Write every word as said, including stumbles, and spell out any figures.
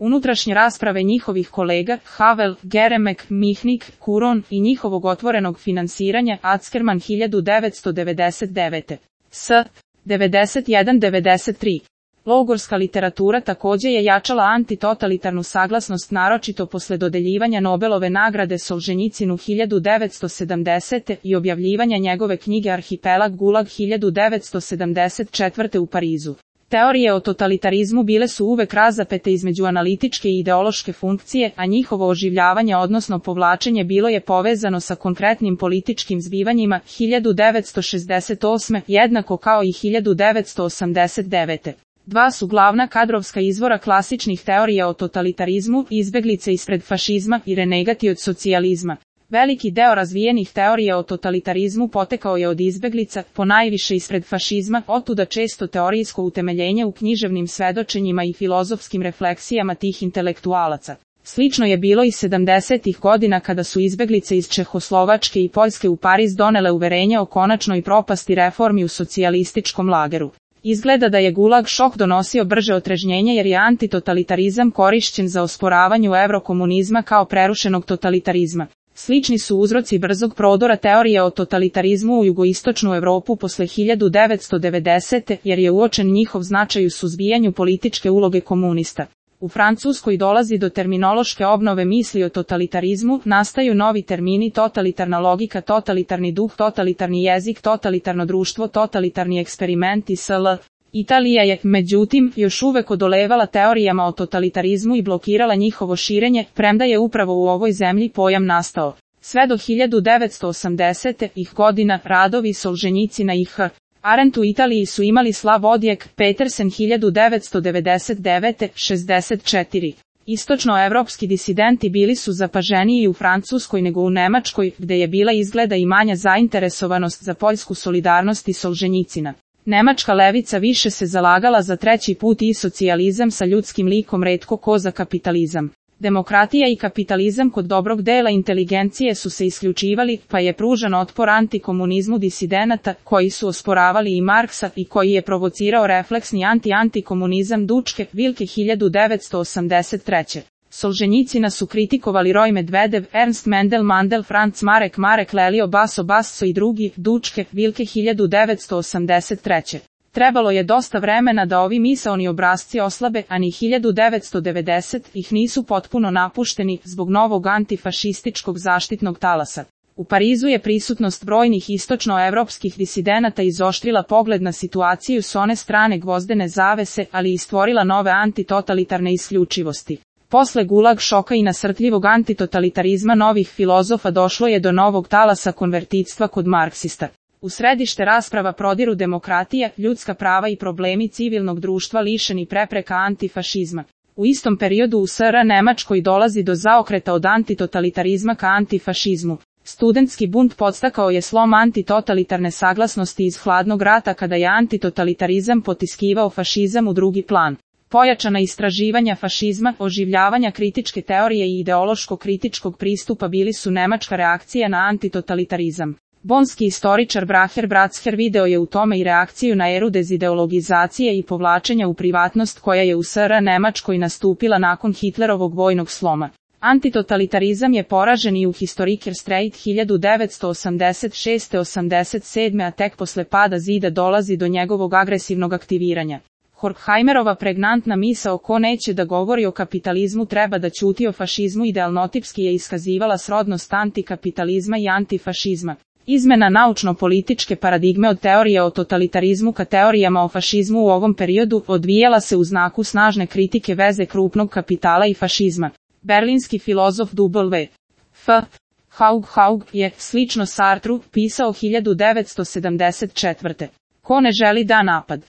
Unutrašnje rasprave njihovih kolega, Havel, Geremek, Mihnik, Kuron i njihovog otvorenog finansiranja, Ackerman hiljadu devetsto devedeset devete. S. devedeset jedan devedeset tri. Logorska literatura također je jačala antitotalitarnu saglasnost naročito posle dodeljivanja Nobelove nagrade Solženjicinu hiljadu devetsto sedamdesete. i objavljivanja njegove knjige Arhipelag Gulag hiljadu devetsto sedamdeset četvrte. u Parizu. Teorije o totalitarizmu bile su uvek razapete između analitičke i ideološke funkcije, a njihovo oživljavanje odnosno povlačenje bilo je povezano sa konkretnim političkim zbivanjima hiljadu devetsto šezdeset osme. jednako kao i hiljadu devetsto osamdeset devete. Dva su glavna kadrovska izvora klasičnih teorija o totalitarizmu, izbeglice ispred fašizma i renegati od socijalizma. Veliki deo razvijenih teorija o totalitarizmu potekao je od izbeglica, ponajviše ispred fašizma, otuda često teorijsko utemeljenje u književnim svedočenjima i filozofskim refleksijama tih intelektualaca. Slično je bilo i sedamdesetih godina kada su izbeglice iz Čehoslovačke i Poljske u Pariz donele uverenje o konačnoj propasti reformi u socijalističkom lageru. Izgleda da je Gulag šok donosio brže otrežnjenje jer je antitotalitarizam korišćen za osporavanju evrokomunizma kao prerušenog totalitarizma. Slični su uzroci brzog prodora teorije o totalitarizmu u jugoistočnu Evropu posle hiljadu devetsto devedesete. jer je uočen njihov značaj u suzbijanju političke uloge komunista. U Francuskoj dolazi do terminološke obnove misli o totalitarizmu, nastaju novi termini totalitarna logika, totalitarni duh, totalitarni jezik, totalitarno društvo, totalitarni eksperiment i sl. Italija je, međutim, još uvek odolevala teorijama o totalitarizmu i blokirala njihovo širenje, premda je upravo u ovoj zemlji pojam nastao. Sve do hiljadu devetsto osamdesetih. ih godina, radovi Solženjicina i H. Arendt u Italiji su imali slav odjek, Petersen hiljadu devetsto devedeset devete. šezdeset četiri. Istočnoevropski disidenti bili su zapaženiji u Francuskoj nego u Nemačkoj, gde je bila izgleda i manja zainteresovanost za poljsku solidarnost i Solženjicina. Nemačka levica više se zalagala za treći put i socijalizam sa ljudskim likom, retko ko za kapitalizam. Demokratija i kapitalizam kod dobrog dela inteligencije su se isključivali, pa je pružan otpor antikomunizmu disidenata, koji su osporavali i Marksa i koji je provocirao refleksni anti-antikomunizam Dučke, Vilke hiljadu devetsto osamdeset treće. Solženjicina su kritikovali Roj Medvedev, Ernst Mendel Mandel, Franz Marek Marek Lelio Baso Basso i drugi, Dučke, Vilke hiljadu devetsto osamdeset treće. Trebalo je dosta vremena da ovi misaoni obrasci oslabe, a ni hiljadu devetsto devedesetih. ih nisu potpuno napušteni zbog novog antifašističkog zaštitnog talasa. U Parizu je prisutnost brojnih istočnoevropskih disidenata izoštrila pogled na situaciju s one strane gvozdene zavese, ali i stvorila nove antitotalitarne isključivosti. Posle Gulag šoka i nasrtljivog antitotalitarizma novih filozofa došlo je do novog talasa konvertitstva kod marksista. U središte rasprava prodiru demokratija, ljudska prava i problemi civilnog društva lišeni prepreka antifašizma. U istom periodu u S R Nemačkoj dolazi do zaokreta od antitotalitarizma ka antifašizmu. Studentski bunt podstakao je slom antitotalitarne saglasnosti iz hladnog rata kada je antitotalitarizam potiskivao fašizam u drugi plan. Pojačana istraživanja fašizma, oživljavanja kritičke teorije i ideološko-kritičkog pristupa bili su nemačka reakcija na antitotalitarizam. Bonski istoričar Braher Bratzher video je u tome i reakciju na eru dezideologizacije i povlačenja u privatnost koja je u S R Nemačkoj nastupila nakon Hitlerovog vojnog sloma. Antitotalitarizam je poražen i u Historiker Streit hiljadu devetsto osamdeset šeste osamdeset sedme. a tek posle pada zida dolazi do njegovog agresivnog aktiviranja. Horkheimerova pregnantna misao ko neće da govori o kapitalizmu treba da ćuti o fašizmu idealnotipski je iskazivala srodnost antikapitalizma i antifašizma. Izmena naučno-političke paradigme od teorije o totalitarizmu ka teorijama o fašizmu u ovom periodu odvijala se u znaku snažne kritike veze krupnog kapitala i fašizma. Berlinski filozof W. F. Haug Haug je, slično Sartru, pisao hiljadu devetsto sedamdeset četvrte. Ko ne želi da napad